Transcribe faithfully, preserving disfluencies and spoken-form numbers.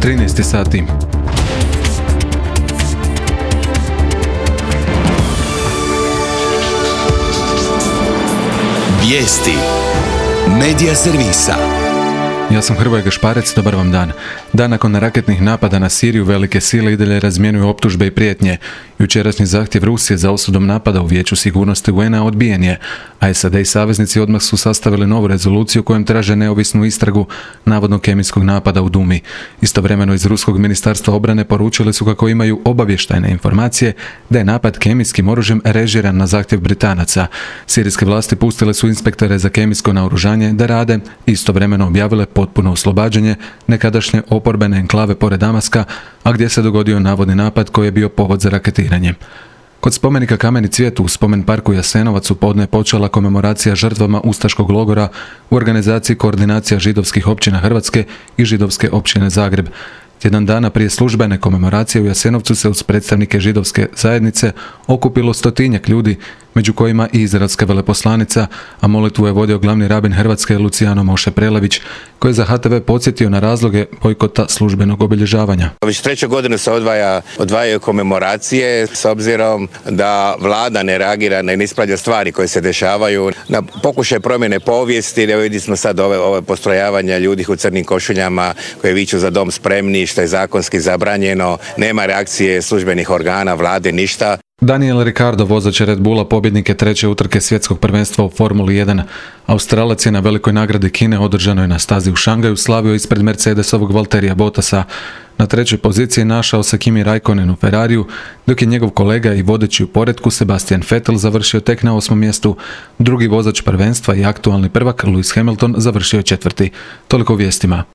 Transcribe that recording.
trinaest sati. Vijesti Medija servisa. Ja sam Hrvoje Gašparec, dobar vam dan. Dan nakon raketnih napada na Siriju velike sile i dalje razmjenuju optužbe i prijetnje. Jučerašnji zahtjev Rusije za osudom napada u Vijeću sigurnosti U N A odbijen je, a S A D i saveznici odmah su sastavili novu rezoluciju kojom traže neovisnu istragu navodnog kemijskog napada u Dumi. Istovremeno iz Ruskog ministarstva obrane poručili su kako imaju obavještajne informacije da je napad kemijskim oružjem režiran na zahtjev Britanaca. Sirijske vlasti pustile su inspektore za kemijsko naoružanje da rade, istovremeno objavile potpuno oslobađanje nekadašnje oporbene enklave pored Damaska, a gdje se dogodio navodni napad koji je bio povod za raketiranje. Kod spomenika Kameni cvijet u spomen parku Jasenovac u podne je počela komemoracija žrtvama ustaškog logora u organizaciji Koordinacija židovskih općina Hrvatske i Židovske općine Zagreb. Tjedan dana prije službene komemoracije u Jasenovcu se uz predstavnike židovske zajednice okupilo stotinjak ljudi, među kojima i izraelska veleposlanica, a molitvu je vodio glavni rabin Hrvatske Lucijano Moše Prelević, koji je za H T V podsjetio na razloge bojkota službenog obilježavanja. Već treću godinu se odvaja, odvajaju komemoracije s obzirom da vlada ne reagira, ne ispravlja stvari koje se dešavaju, na pokušaj promjene povijesti. Evo vidimo smo sad ove, ove postrojavanja ljudi u crnim košuljama koji viču za dom spremni, što je zakonski zabranjeno, nema reakcije službenih organa, vlade, ništa. Daniel Ricciardo, vozač Red Bulla, pobjednik je treće utrke svjetskog prvenstva u Formuli jedan. Australac je na velikoj nagradi Kine održanoj na stazi u Šangaju slavio ispred Mercedesovog Valtterija Bottasa. Na trećoj poziciji našao se Kimi Raikkonen u Ferrariju, dok je njegov kolega i vodeći u poretku Sebastian Vettel završio tek na osmom mjestu. Drugi vozač prvenstva i aktualni prvak Lewis Hamilton završio je četvrti. Toliko u vijestima.